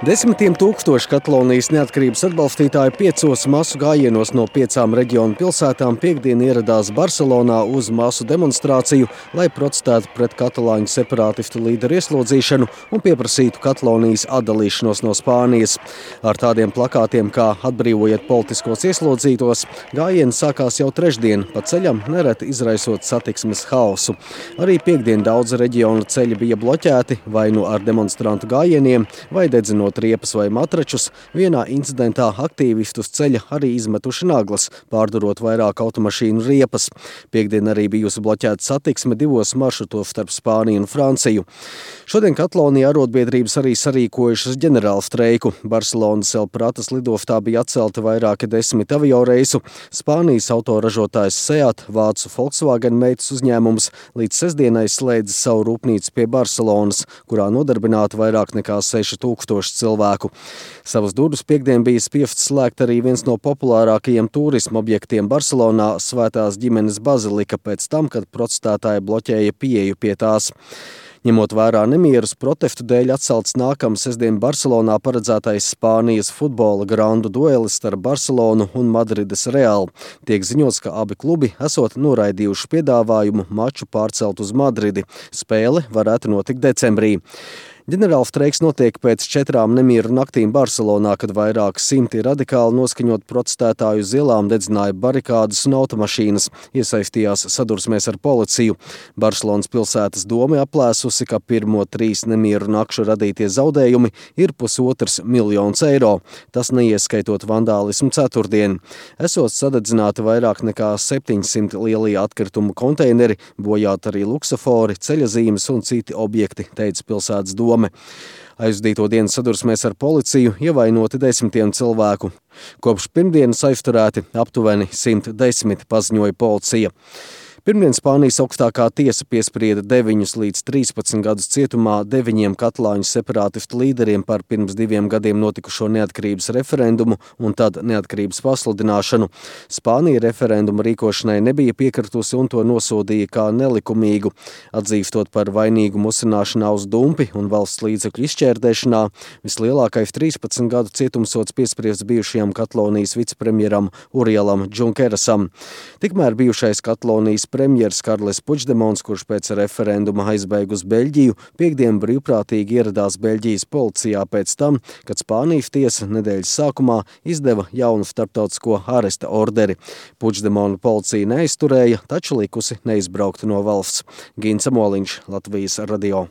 Desmitiem tūkstoši Katalonijas neatkarības atbalstītāji 5 masu gājienos no 5 reģionu pilsētām piektdien ieradās Barcelonā uz masu demonstrāciju, lai protestētu pret katalāņu separātistu līderu ieslodzīšanu un pieprasītu Katalonijas atdalīšanos no Spānijas. Ar tādiem plakātiem kā "Atbrīvojiet politiskos ieslodzītos" gājieni sākās jau trešdien, pa ceļam nereti izraisot satiksmes haosu. Arī piektdien daudz reģionu ceļi bija bloķēti vai nu ar demonstrantu gājieniem, vai dedzinot riepas vai matračus. Vienā incidentā aktīvisti uz ceļa arī izmetuši naglas, pārdurot vairāk automašīnu riepas. Piektdien arī bijusi bloķēta satiksme 2 maršrutos starp Spāniju un Franciju. Šodien Katalonijā arotbiedrības arī sarīkojušas ģenerālu streiku. Barcelonas El Pratas lidostā bija atcelti vairāki 10 avioreisu. Spānijas autoražotājs Seat, vācu Volkswagen meitas uzņēmums, līdz sestdienai slēdza savu rūpnīcu pie Barcelonas, kurā nodarbināti vairāk nekā 6000 cilvēku. Savas durvis piektdien bija spiests slēgt arī viens no populārākajiem turisma objektiem Barcelonā - Svētās ģimenes bazilika pēc tam, kad protestētāji bloķēja pieeju pie tās. Ņemot vērā nemierus, protestu dēļ atcelts nākamā sestdien Barcelonā paredzētais Spānijas futbola grandu duelis starp Barcelonu un Madrides Real. Tiek ziņots, ka abi klubi esot noraidījuši piedāvājumu maču pārcelt uz Madridi. Spēle varētu notikt decembrī. Ģenerālstreiks notiek pēc 4 nemieru naktīm Barcelonā, kad vairāk simti radikāli noskaņot protestētāju uz ielām dedzināja barikādas un automašīnas, iesaistījās sadursmēs ar policiju. Barcelonas pilsētas doma aplēsusi, ka pirmo 3 nemieru nakšu radītie zaudējumi ir $1,5 miljons eiro. Tas neieskaitot vandālismu ceturtdien. Esot sadedzināti vairāk nekā 700 lielie atkritumu konteineri, bojāt arī luksofori, ceļazīmes un citi objekti, teica pilsētas doma. Aizdīto dienas sadursmēs ar policiju ievainoti 10 cilvēku. Kopš pirmdienas aizturēti aptuveni 110, paziņoja policija. Pirmdien Spānijas augstākā tiesa piesprieda 9 līdz 13 gadus cietumā 9 katalāņu separātistu līderiem par pirms 2 gadiem notikušo neatkarības referendumu un tad neatkarības pasludināšanu. Spānija referenduma rīkošanai nebija piekritusi un to nosodīja kā nelikumīgu, atzīstot par vainīgu musināšanā uz dumpi un valsts līdzekļu izšķērdēšanā. Vislielākais 13 gadu cietumsods piespriests bijušajam Katalonijas vicepremjeram Urielam Junkerasam. Tikmēr bijušais Katalonijas premjers Karles Puigdemons, kurš pēc referenduma aizbēga uz Beļģiju, piektdien brīvprātīgi ieradās Beļģijas policijā pēc tam, kad Spānijas tiesa nedēļas sākumā izdeva jaunu starptautisko aresta orderi. Puigdemonu policija neaizturēja, taču likusi neizbraukt no valsts. Gins Amoliņš, Latvijas radio.